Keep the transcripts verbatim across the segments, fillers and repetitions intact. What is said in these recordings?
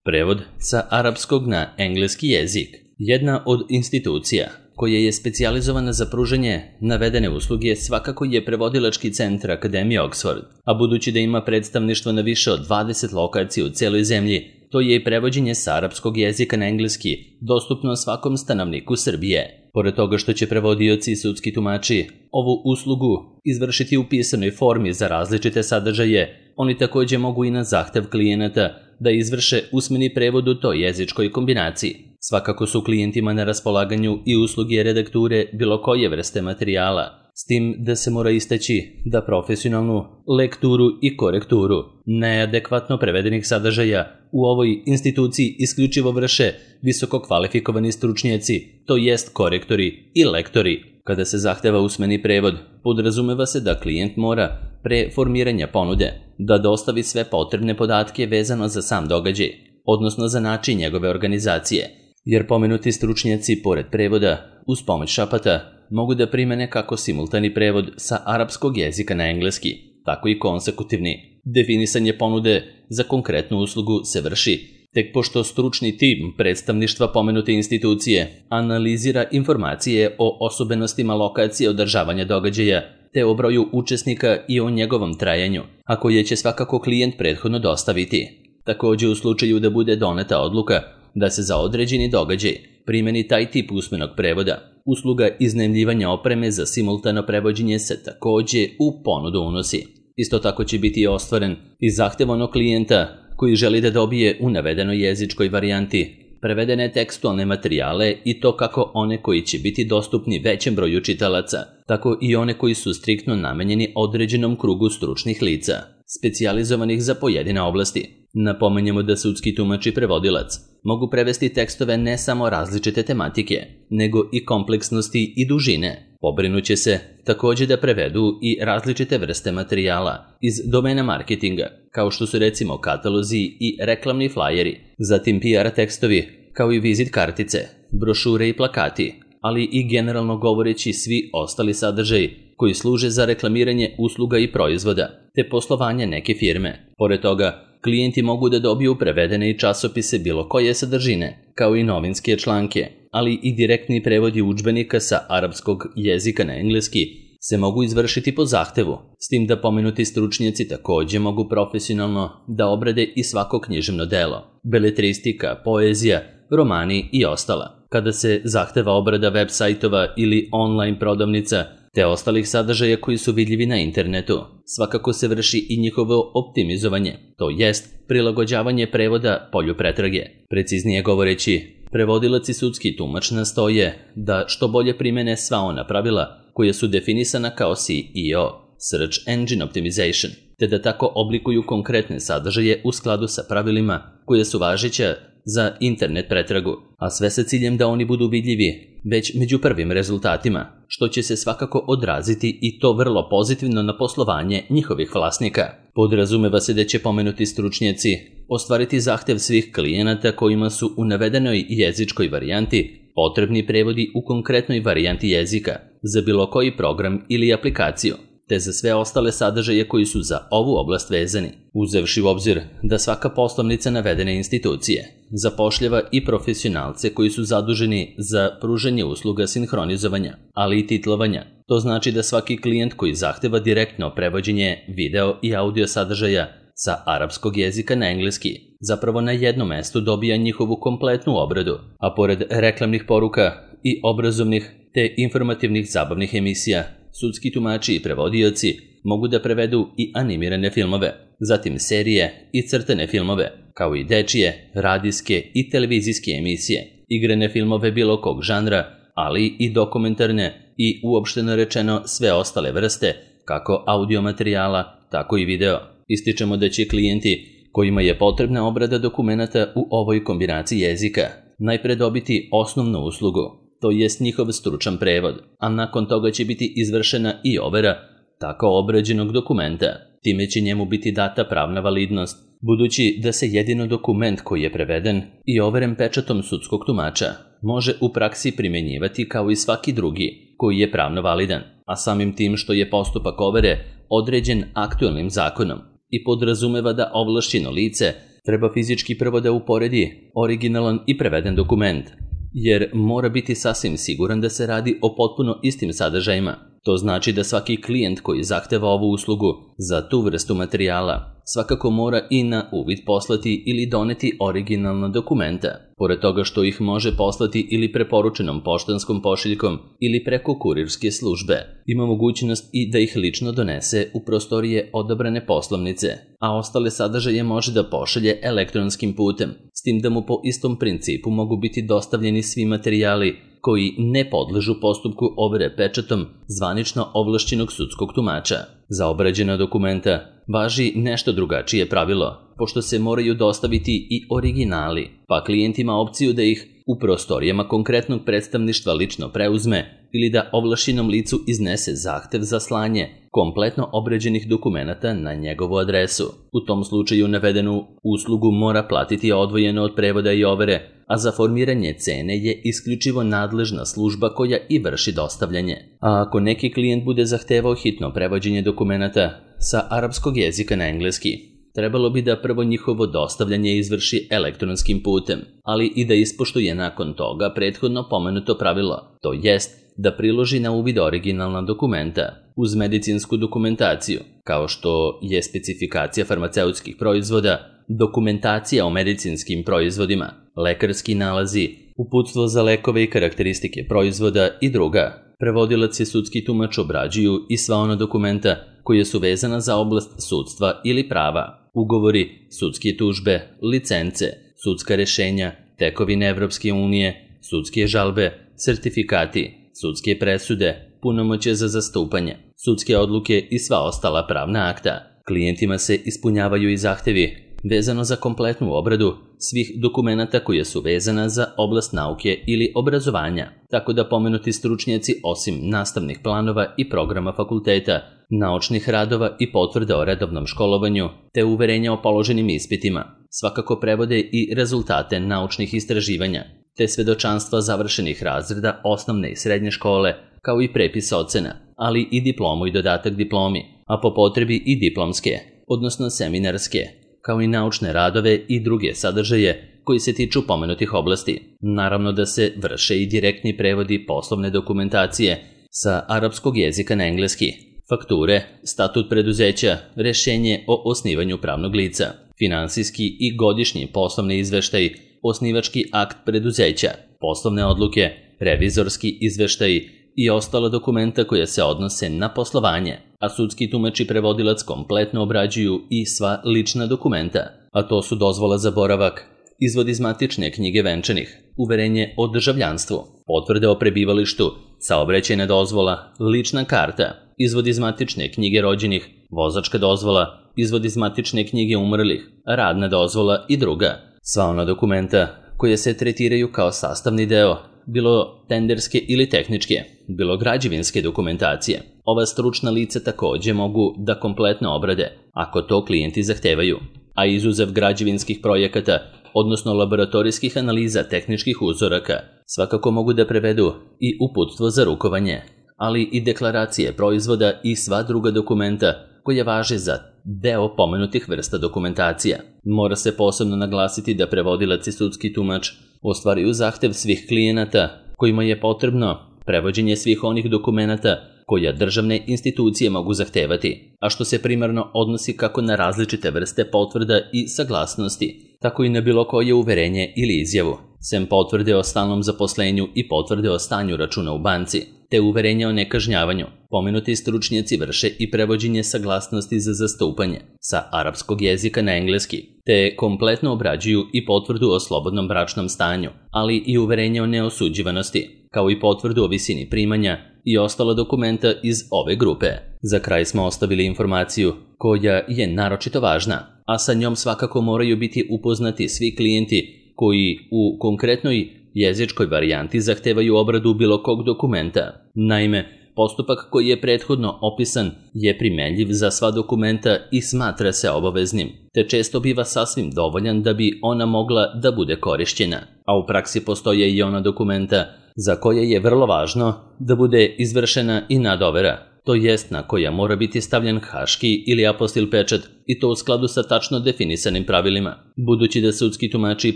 Prevod sa arapskog na engleski jezik. Jedna od institucija koja je specijalizovana za pružanje navedene usluge svakako je Prevodilački centar Akademije Oxford, a budući da ima predstavništvo na više od dvadeset lokacija u celoj zemlji, to je i prevođenje sa arapskog jezika na engleski dostupno svakom stanovniku Srbije. Pored toga što će prevodioci i sudski tumači ovu uslugu izvršiti u pisanoj formi za različite sadržaje, oni takođe mogu i na zahtev klijenata da izvrše usmeni prevod u toj jezičkoj kombinaciji. Svakako su klijentima na raspolaganju i usluge redakture bilo koje vrste materijala, s tim da se mora istaći da profesionalnu lekturu i korekturu neadekvatno prevedenih sadržaja u ovoj instituciji isključivo vrše visoko kvalifikovani stručnjaci, to jest korektori i lektori. Kada se zahteva usmeni prevod, podrazumeva se da klijent mora pre formiranja ponude da dostavi sve potrebne podatke vezano za sam događaj, odnosno za način njegove organizacije, jer pomenuti stručnjaci pored prevoda uz pomoć šapata mogu da primene kako simultani prevod sa arapskog jezika na engleski, tako i konsekutivni. Definisanje ponude za konkretnu uslugu se vrši tek pošto stručni tim predstavništva pomenute institucije analizira informacije o osobenostima lokacije održavanja događaja, te o broju učesnika i o njegovom trajanju, a koje će svakako klijent prethodno dostaviti. Takođe, u slučaju da bude doneta odluka da se za određeni događaj primeni taj tip usmenog prevoda, usluga iznajmljivanja opreme za simultano prevođenje se takođe u ponudu unosi. Isto tako će biti ostvaren i zahtev onog klijenta koji želi da dobije u navedenoj jezičkoj varijanti prevedene tekstualne materijale i to kako one koji će biti dostupni većem broju čitalaca, tako i one koji su striktno namenjeni određenom krugu stručnih lica, specijalizovanih za pojedine oblasti. Napomenjemo da sudski tumač i prevodilac mogu prevesti tekstove ne samo različite tematike, nego i kompleksnosti i dužine. Pobrinuće se takođe da prevedu i različite vrste materijala iz domena marketinga, kao što su recimo katalozi i reklamni flajeri, zatim P R tekstovi, kao i vizit kartice, brošure i plakati, ali i generalno govoreći svi ostali sadržaji koji služe za reklamiranje usluga i proizvoda, te poslovanje neke firme. Pored toga, klijenti mogu da dobiju prevedene i časopise bilo koje sadržine, kao i novinske članke, ali i direktni prevodi udžbenika sa arapskog jezika na engleski se mogu izvršiti po zahtevu, s tim da pomenuti stručnjaci takođe mogu profesionalno da obrade i svako književno delo, beletristika, poezija, romani i ostala. Kada se zahteva obrada web sajtova ili online prodavnica, te ostalih sadržaja koji su vidljivi na internetu, svakako se vrši i njihovo optimizovanje, to jest prilagođavanje prevoda polju pretrage. Preciznije govoreći, prevodilac i sudski tumač nastoje da što bolje primene sva ona pravila koja su definisana kao S E O, Search Engine Optimization, te da tako oblikuju konkretne sadržaje u skladu sa pravilima koje su važeća za internet pretragu, a sve sa ciljem da oni budu vidljivi već među prvim rezultatima, što će se svakako odraziti i to vrlo pozitivno na poslovanje njihovih vlasnika. Podrazumeva se da će pomenuti stručnjaci ostvariti zahtev svih klijenata kojima su u navedenoj jezičkoj varijanti potrebni prevodi u konkretnoj varijanti jezika za bilo koji program ili aplikaciju, te za sve ostale sadržaje koji su za ovu oblast vezani, uzevši u obzir da svaka poslovnica navedene institucije zapošljava i profesionalce koji su zaduženi za pružanje usluga sinhronizovanja, ali i titlovanja. To znači da svaki klijent koji zahteva direktno prevođenje video i audio sadržaja sa arapskog jezika na engleski zapravo na jednom mestu dobija njihovu kompletnu obradu, a pored reklamnih poruka i obrazovnih te informativnih zabavnih emisija, sudski tumači i prevodioci mogu da prevedu i animirane filmove, zatim serije i crtane filmove, kao i dečije, radijske i televizijske emisije, igrane filmove bilo kog žanra, ali i dokumentarne i uopšteno rečeno sve ostale vrste, kako audio materijala, tako i video. Ističemo da će klijenti kojima je potrebna obrada dokumenata u ovoj kombinaciji jezika najpre dobiti osnovnu uslugu, to jest njihov stručan prevod, a nakon toga će biti izvršena i overa tako obrađenog dokumenta. Time će njemu biti data pravna validnost, budući da se jedino dokument koji je preveden i overen pečatom sudskog tumača može u praksi primenjivati kao i svaki drugi koji je pravno validan, a samim tim što je postupak overe određen aktuelnim zakonom i podrazumeva da ovlašćeno lice treba fizički prvo da uporedi originalan i preveden dokument, jer mora biti sasvim siguran da se radi o potpuno istim sadržajima. To znači da svaki klijent koji zahteva ovu uslugu za tu vrstu materijala svakako mora i na uvid poslati ili doneti originalna dokumenta. Pored toga što ih može poslati ili preporučenom poštanskom pošiljkom ili preko kurirske službe, ima mogućnost i da ih lično donese u prostorije odabrane poslovnice, a ostale sadržaje može da pošalje elektronskim putem, s tim da mu po istom principu mogu biti dostavljeni svi materijali koji ne podležu postupku overe pečatom zvanično ovlašćenog sudskog tumača. Za obrađena dokumenta važi nešto drugačije pravilo, pošto se moraju dostaviti i originali, pa klijent ima opciju da ih u prostorijama konkretnog predstavništva lično preuzme ili da ovlašćenom licu iznese zahtev za slanje kompletno obrađenih dokumenata na njegovu adresu. U tom slučaju navedenu uslugu mora platiti odvojeno od prevoda i overe, a za formiranje cene je isključivo nadležna služba koja i vrši dostavljanje. A ako neki klijent bude zahtevao hitno prevođenje dokumenata sa arapskog jezika na engleski, trebalo bi da prvo njihovo dostavljanje izvrši elektronskim putem, ali i da ispoštuje nakon toga prethodno pomenuto pravilo, to jest da priloži na uvid originalna dokumenta uz medicinsku dokumentaciju, kao što je specifikacija farmaceutskih proizvoda, dokumentacija o medicinskim proizvodima, lekarski nalazi, uputstvo za lekove i karakteristike proizvoda i druga. Prevodilac i sudski tumač obrađuju i sva ona dokumenta koje su vezana za oblast sudstva ili prava, ugovori, sudske tužbe, licence, sudska rešenja, tekovine Evropske unije, sudske žalbe, sertifikati, sudske presude, punomoćje za zastupanje, sudske odluke i sva ostala pravna akta. Klijentima se ispunjavaju i zahtevi vezano za kompletnu obradu svih dokumenata koje su vezana za oblast nauke ili obrazovanja, tako da pomenuti stručnjaci osim nastavnih planova i programa fakulteta, naučnih radova i potvrda o redovnom školovanju, te uverenja o položenim ispitima, svakako prevode i rezultate naučnih istraživanja, te svedočanstva završenih razreda osnovne i srednje škole, kao i prepis ocena, ali i diplomu i dodatak diplomi, a po potrebi i diplomske, odnosno seminarske, kao i naučne radove i druge sadržaje koji se tiču pomenutih oblasti. Naravno da se vrše i direktni prevodi poslovne dokumentacije sa arapskog jezika na engleski, fakture, statut preduzeća, rešenje o osnivanju pravnog lica, finansijski i godišnji poslovni izveštaj, osnivački akt preduzeća, poslovne odluke, revizorski izveštaj i ostala dokumenta koja se odnose na poslovanje, a sudski tumač i prevodilac kompletno obrađuju i sva lična dokumenta, a to su dozvola za boravak, izvod iz matične knjige venčanih, uverenje o državljanstvu, potvrde o prebivalištu, saobraćajna dozvola, lična karta, izvod iz matične knjige rođenih, vozačka dozvola, izvod iz matične knjige umrlih, radna dozvola i druga. Sva ona dokumenta koje se tretiraju kao sastavni deo, bilo tenderske ili tehničke, bilo građevinske dokumentacije. Ova stručna lica takođe mogu da kompletno obrade, ako to klijenti zahtevaju, a izuzev građevinskih projekata, odnosno laboratorijskih analiza tehničkih uzoraka, svakako mogu da prevedu i uputstvo za rukovanje, ali i deklaracije proizvoda i sva druga dokumenta koje važe za deo pomenutih vrsta dokumentacija. Mora se posebno naglasiti da prevodilac i sudski tumač ostvaruju zahtev svih klijenata kojima je potrebno prevođenje svih onih dokumenata koja državne institucije mogu zahtevati, a što se primarno odnosi kako na različite vrste potvrda i saglasnosti, tako i na bilo koje uverenje ili izjavu, sem potvrde o stalnom zaposlenju i potvrde o stanju računa u banci, te uverenja o nekažnjavanju. Pomenuti stručnjaci vrše i prevođenje saglasnosti za zastupanje sa arapskog jezika na engleski, te kompletno obrađuju i potvrdu o slobodnom bračnom stanju, ali i uverenje o neosuđivanosti, kao i potvrdu o visini primanja i ostala dokumenta iz ove grupe. Za kraj smo ostavili informaciju koja je naročito važna, a sa njom svakako moraju biti upoznati svi klijenti koji u konkretnoj jezičkoj varijanti zahtevaju obradu bilo kog dokumenta. Naime, postupak koji je prethodno opisan je primenljiv za sva dokumenta i smatra se obaveznim, te često biva sasvim dovoljan da bi ona mogla da bude korišćena, a u praksi postoje i ona dokumenta za koje je vrlo važno da bude izvršena i nadovera, to jest na koja mora biti stavljen haški ili apostil pečat i to u skladu sa tačno definisanim pravilima. Budući da sudski tumači i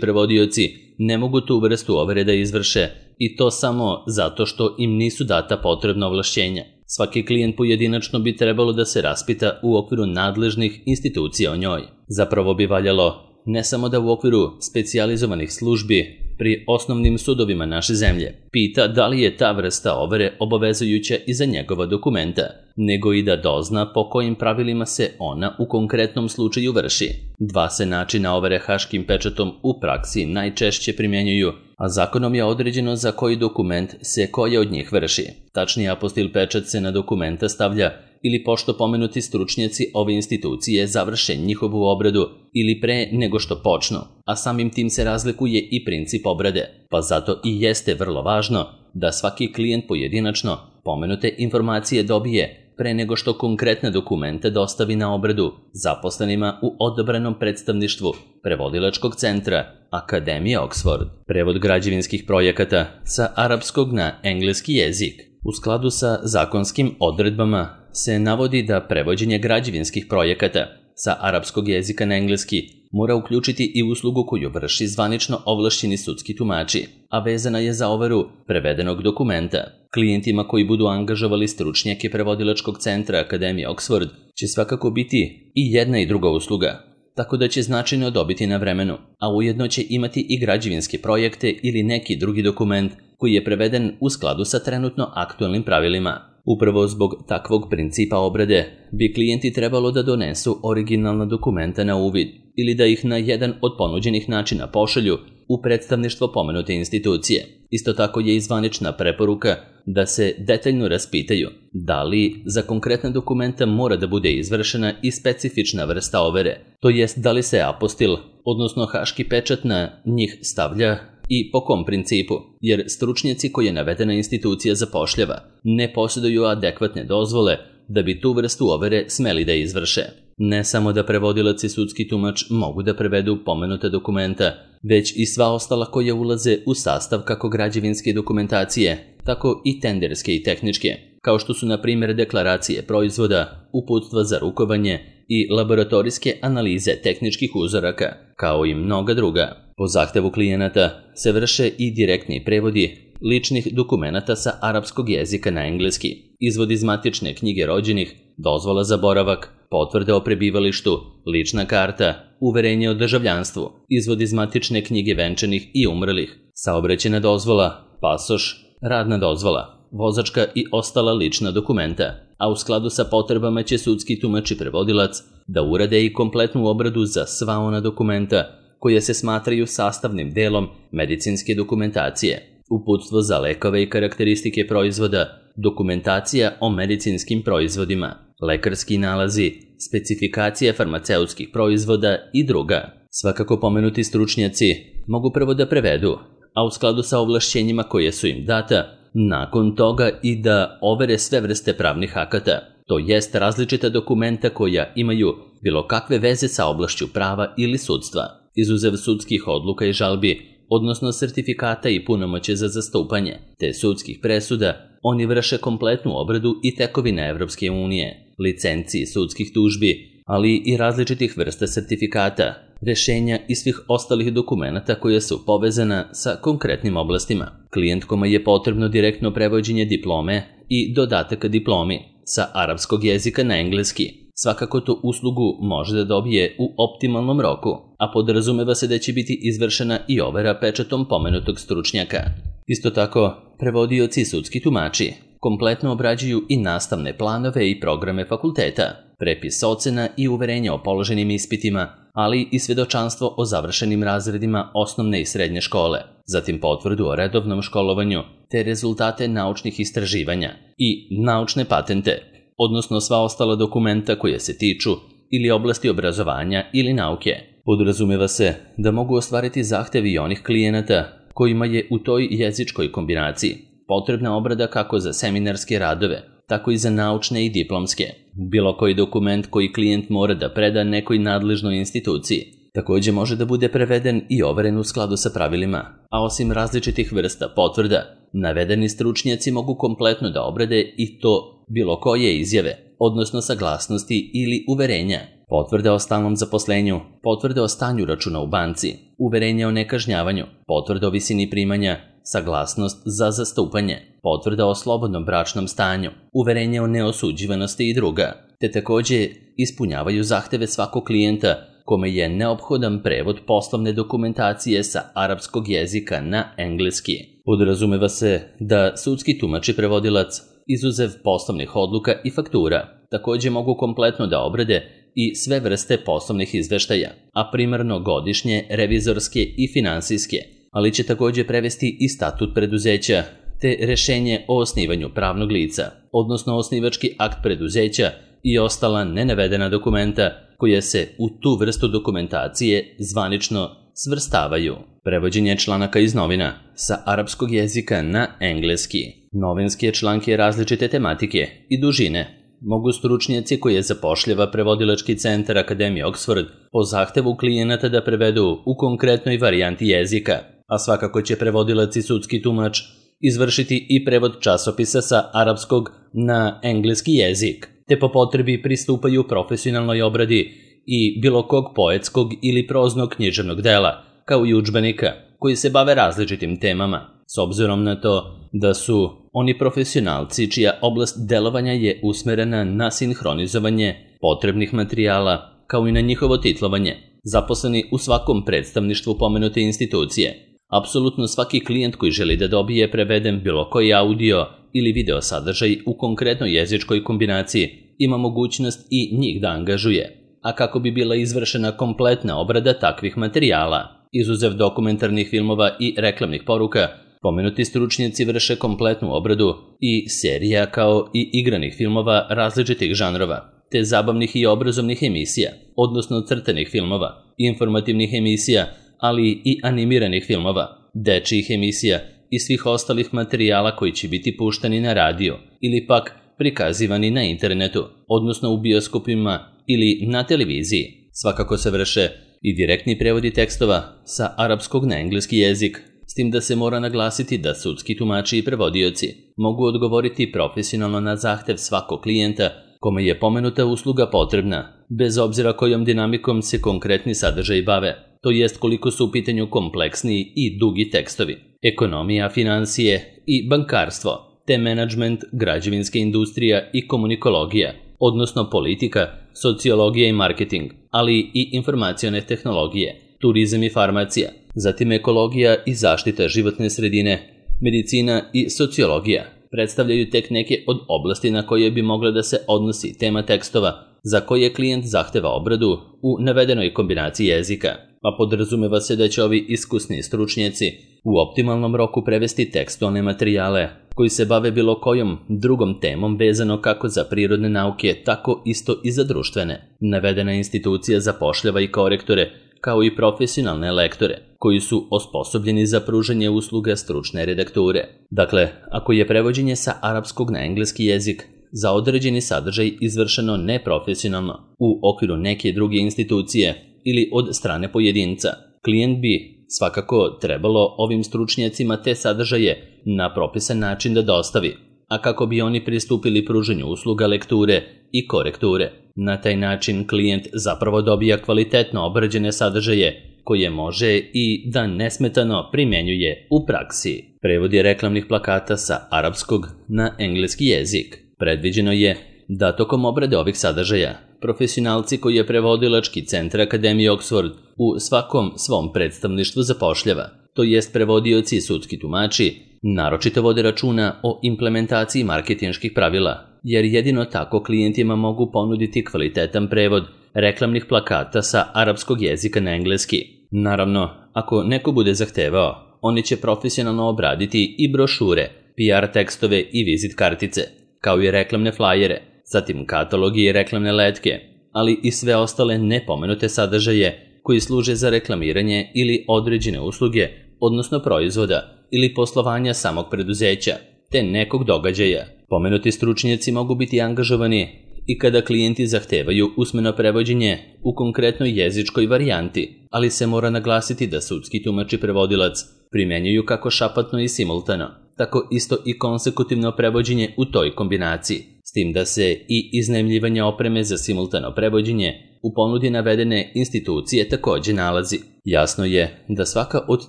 prevodioci ne mogu tu vrstu overe da izvrše i to samo zato što im nisu data potrebna ovlašćenja. Svaki klijent pojedinačno bi trebalo da se raspita u okviru nadležnih institucija o njoj. Zapravo bi valjalo ne samo da u okviru specijalizovanih službi pri osnovnim sudovima naše zemlje pita da li je ta vrsta overe obavezujuća i za njegova dokumenta, nego i da dozna po kojim pravilima se ona u konkretnom slučaju vrši. Dva se načina overe haškim pečatom u praksi najčešće primjenjuju, a zakonom je određeno za koji dokument se koja od njih vrši. Tačnije, apostil pečat se na dokumenta stavlja ili pošto pomenuti stručnjaci ove institucije završe njihovu obradu ili pre nego što počnu, a samim tim se razlikuje i princip obrade, pa zato i jeste vrlo važno da svaki klijent pojedinačno pomenute informacije dobije pre nego što konkretne dokumente dostavi na obradu zaposlenima u odabranom predstavništvu prevodilačkog centra Akademije Oxford. Prevod građevinskih projekata sa arapskog na engleski jezik. U skladu sa zakonskim odredbama se navodi da prevođenje građevinskih projekata sa arapskog jezika na engleski mora uključiti i uslugu koju vrši zvanično ovlašćeni sudski tumači, a vezana je za overu prevedenog dokumenta. Klijentima koji budu angažovali stručnjake prevodilačkog centra Akademije Oxford će svakako biti i jedna i druga usluga, tako da će značajno dobiti na vremenu, a ujedno će imati i građevinske projekte ili neki drugi dokument koji je preveden u skladu sa trenutno aktualnim pravilima. Upravo zbog takvog principa obrade bi klijenti trebalo da donesu originalna dokumenta na uvid ili da ih na jedan od ponuđenih načina pošalju u predstavništvo pomenute institucije. Isto tako je i zvanična preporuka da se detaljno raspitaju da li za konkretne dokumenta mora da bude izvršena i specifična vrsta overe, to jest da li se apostil, odnosno haški pečat na njih stavlja i po kom principu, jer stručnjaci koje navedena institucija zapošljava ne posjeduju adekvatne dozvole da bi tu vrstu overe smeli da izvrše. Ne samo da prevodilac i sudski tumač mogu da prevedu pomenuta dokumenta, već i sva ostala koja ulaze u sastav kako građevinske dokumentacije, tako i tenderske i tehničke, kao što su na primjer deklaracije proizvoda, uputstva za rukovanje i laboratorijske analize tehničkih uzoraka, kao i mnoga druga. Po zahtevu klijenata se vrše i direktni prevodi ličnih dokumenata sa arapskog jezika na engleski, izvod iz matične knjige rođenih, dozvola za boravak, potvrde o prebivalištu, lična karta, uverenje o državljanstvu, izvod iz matične knjige venčanih i umrlih, saobraćajna dozvola, pasoš, radna dozvola, vozačka i ostala lična dokumenta, a u skladu sa potrebama će sudski tumač i prevodilac da urade i kompletnu obradu za sva ona dokumenta koje se smatraju sastavnim delom medicinske dokumentacije, uputstvo za lekove i karakteristike proizvoda, dokumentacija o medicinskim proizvodima, lekarski nalazi, specifikacija farmaceutskih proizvoda i druga. Svakako pomenuti stručnjaci mogu prvo da prevedu, a u skladu sa ovlašćenjima koje su im data, nakon toga i da overe sve vrste pravnih akata, to jest različita dokumenta koja imaju bilo kakve veze sa oblašću prava ili sudstva, izuzev sudskih odluka i žalbi, odnosno sertifikata i punomoće za zastupanje, te sudskih presuda. Oni vrše kompletnu obradu i tekovine Evropske unije, licenciji sudskih tužbi, ali i različitih vrsta sertifikata, rešenja i svih ostalih dokumenata koja su povezana sa konkretnim oblastima. Klijent kome je potrebno direktno prevođenje diplome i dodatak diplomi sa arapskog jezika na engleski, svakako tu uslugu može da dobije u optimalnom roku, a podrazumeva se da će biti izvršena i overa pečatom pomenutog stručnjaka. Isto tako, prevodioci i sudski tumači kompletno obrađuju i nastavne planove i programe fakulteta, prepis ocena i uverenja o položenim ispitima, ali i svedočanstvo o završenim razredima osnovne i srednje škole, zatim potvrdu o redovnom školovanju, te rezultate naučnih istraživanja i naučne patente, odnosno sva ostala dokumenta koje se tiču ili oblasti obrazovanja ili nauke. Podrazumeva se da mogu ostvariti zahtevi i onih klijenata kojima je u toj jezičkoj kombinaciji potrebna obrada kako za seminarske radove, tako i za naučne i diplomske. Bilo koji dokument koji klijent mora da preda nekoj nadležnoj instituciji takođe može da bude preveden i overen u skladu sa pravilima, a osim različitih vrsta potvrda, navedeni stručnjaci mogu kompletno da obrade i to bilo koje izjave, odnosno saglasnosti ili uverenja, potvrde o stalnom zaposlenju, potvrde o stanju računa u banci, uverenje o nekažnjavanju, potvrde o visini primanja, saglasnost za zastupanje, potvrda o slobodnom bračnom stanju, uverenje o neosuđivanosti i druga, te također ispunjavaju zahteve svakog klijenta kome je neophodan prevod poslovne dokumentacije sa arapskog jezika na engleski. Podrazumeva se da sudski tumač i prevodilac, izuzev poslovnih odluka i faktura, također mogu kompletno da obrade i sve vrste poslovnih izveštaja, a primarno godišnje, revizorske i finansijske, ali će također prevesti i statut preduzeća, te rešenje o osnivanju pravnog lica, odnosno osnivački akt preduzeća i ostala nenavedena dokumenta koje se u tu vrstu dokumentacije zvanično svrstavaju. Prevođenje članaka iz novina sa arapskog jezika na engleski. Novinske članke različite tematike i dužine mogu stručnjaci koje zapošljava prevodilački centar Akademije Oxford po zahtevu klijenata da prevedu u konkretnoj varijanti jezika, a svakako će prevodilac i sudski tumač izvršiti i prevod časopisa sa arapskog na engleski jezik, te po potrebi pristupaju profesionalnoj obradi i bilo kog poetskog ili proznog književnog dela, kao i udžbenika, koji se bave različitim temama, s obzirom na to da su oni profesionalci čija oblast delovanja je usmerena na sinhronizovanje potrebnih materijala, kao i na njihovo titlovanje, zaposleni u svakom predstavništvu pomenute institucije. Apsolutno svaki klijent koji želi da dobije preveden bilo koji audio ili video sadržaj u konkretnoj jezičkoj kombinaciji ima mogućnost i njih da angažuje. A kako bi bila izvršena kompletna obrada takvih materijala, izuzev dokumentarnih filmova i reklamnih poruka, pomenuti stručnjaci vrše kompletnu obradu i serija kao i igranih filmova različitih žanrova, te zabavnih i obrazovnih emisija, odnosno crtenih filmova, informativnih emisija, ali i animiranih filmova, dečijih emisija i svih ostalih materijala koji će biti pušteni na radio ili pak prikazivani na internetu, odnosno u bioskopima ili na televiziji. Svakako se vrše i direktni prevodi tekstova sa arapskog na engleski jezik, s tim da se mora naglasiti da sudski tumači i prevodioci mogu odgovoriti profesionalno na zahtev svakog klijenta kome je pomenuta usluga potrebna, bez obzira kojom dinamikom se konkretni sadržaj bave, to jest koliko su u pitanju kompleksniji i dugi tekstovi, ekonomija, financije i bankarstvo, te menadžment, građevinska industrija i komunikologija, odnosno politika, sociologija i marketing, ali i informacione tehnologije, turizam i farmacija, zatim ekologija i zaštita životne sredine, medicina i sociologija predstavljaju tek neke od oblasti na koje bi mogla da se odnosi tema tekstova za koje klijent zahteva obradu u navedenoj kombinaciji jezika, pa podrazumeva se da će ovi iskusni stručnjaci u optimalnom roku prevesti tekstualne materijale koji se bave bilo kojom drugom temom vezano kako za prirodne nauke, tako isto i za društvene. Navedena institucija zapošljava i korektore, kao i profesionalne lektore, koji su osposobljeni za pružanje usluga stručne redakture. Dakle, ako je prevođenje sa arapskog na engleski jezik za određeni sadržaj izvršeno neprofesionalno u okviru neke druge institucije ili od strane pojedinca, klijent bi svakako trebalo ovim stručnjacima te sadržaje na propisan način da dostavi, a kako bi oni pristupili pruženju usluga lekture i korekture. Na taj način klijent zapravo dobija kvalitetno obrađene sadržaje koje može i da nesmetano primjenjuje u praksi. Prevod je reklamnih plakata sa arapskog na engleski jezik. Predviđeno je da tokom obrade ovih sadržaja profesionalci koji je prevodilački centar Akademije Oxford u svakom svom predstavništvu zapošljava, to jest prevodioci i sudski tumači, naročito vode računa o implementaciji marketinških pravila, jer jedino tako klijentima mogu ponuditi kvalitetan prevod reklamnih plakata sa arapskog jezika na engleski. Naravno, ako neko bude zahtevao, oni će profesionalno obraditi i brošure, P R tekstove i vizit kartice, kao i reklamne flajere, zatim katalogi i reklamne letke, ali i sve ostale nepomenute sadržaje koji služe za reklamiranje ili određene usluge, odnosno proizvoda ili poslovanja samog preduzeća, te nekog događaja. Pomenuti stručnjaci mogu biti angažovani i kada klijenti zahtevaju usmeno prevođenje u konkretnoj jezičkoj varijanti, ali se mora naglasiti da sudski tumač i prevodilac primjenjuju kako šapatno i simultano, tako isto i konsekutivno prevođenje u toj kombinaciji, s tim da se i iznajmljivanje opreme za simultano prevođenje u ponudi navedene institucije takođe nalazi. Jasno je da svaka od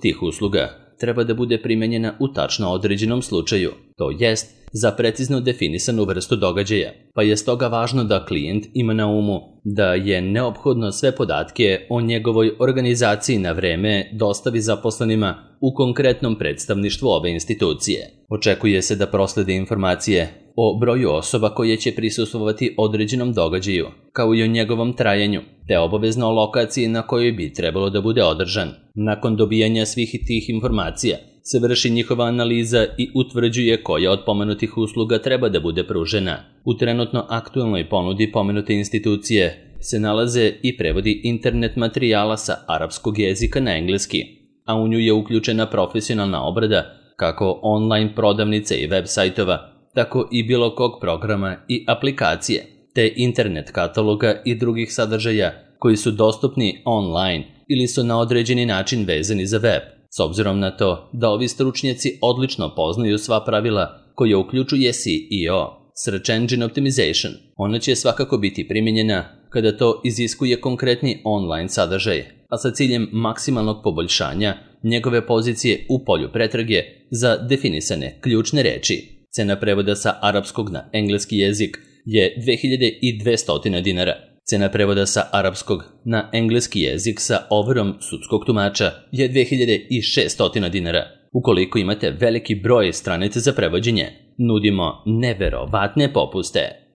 tih usluga treba da bude primenjena u tačno određenom slučaju, to jest za precizno definisanu vrstu događaja, pa je stoga važno da klijent ima na umu da je neophodno sve podatke o njegovoj organizaciji na vreme dostavi zaposlenima u konkretnom predstavništvu ove institucije. Očekuje se da proslede informacije o broju osoba koje će prisustvovati određenom događaju, kao i o njegovom trajanju, te obavezno o lokaciji na kojoj bi trebalo da bude održan. Nakon dobijanja svih tih informacija se vrši njihova analiza i utvrđuje koja od pomenutih usluga treba da bude pružena. U trenutno aktuelnoj ponudi pomenute institucije se nalaze i prevodi internet materijala sa arapskog jezika na engleski, a u nju je uključena profesionalna obrada kako online prodavnice i web sajtova, tako i bilo kog programa i aplikacije, te internet kataloga i drugih sadržaja koji su dostupni online ili su na određeni način vezani za web. S obzirom na to da ovi stručnjaci odlično poznaju sva pravila koja uključuje S E O, Search Engine Optimization, ona će svakako biti primijenjena kada to iziskuje konkretni online sadržaj, a sa ciljem maksimalnog poboljšanja njegove pozicije u polju pretrage za definisane ključne reči. Cena prevoda sa arapskog na engleski jezik je dve hiljade dvesta dinara. Cena prevoda sa arapskog na engleski jezik sa overom sudskog tumača je dve hiljade šeststo dinara. Ukoliko imate veliki broj stranica za prevođenje, nudimo neverovatne popuste.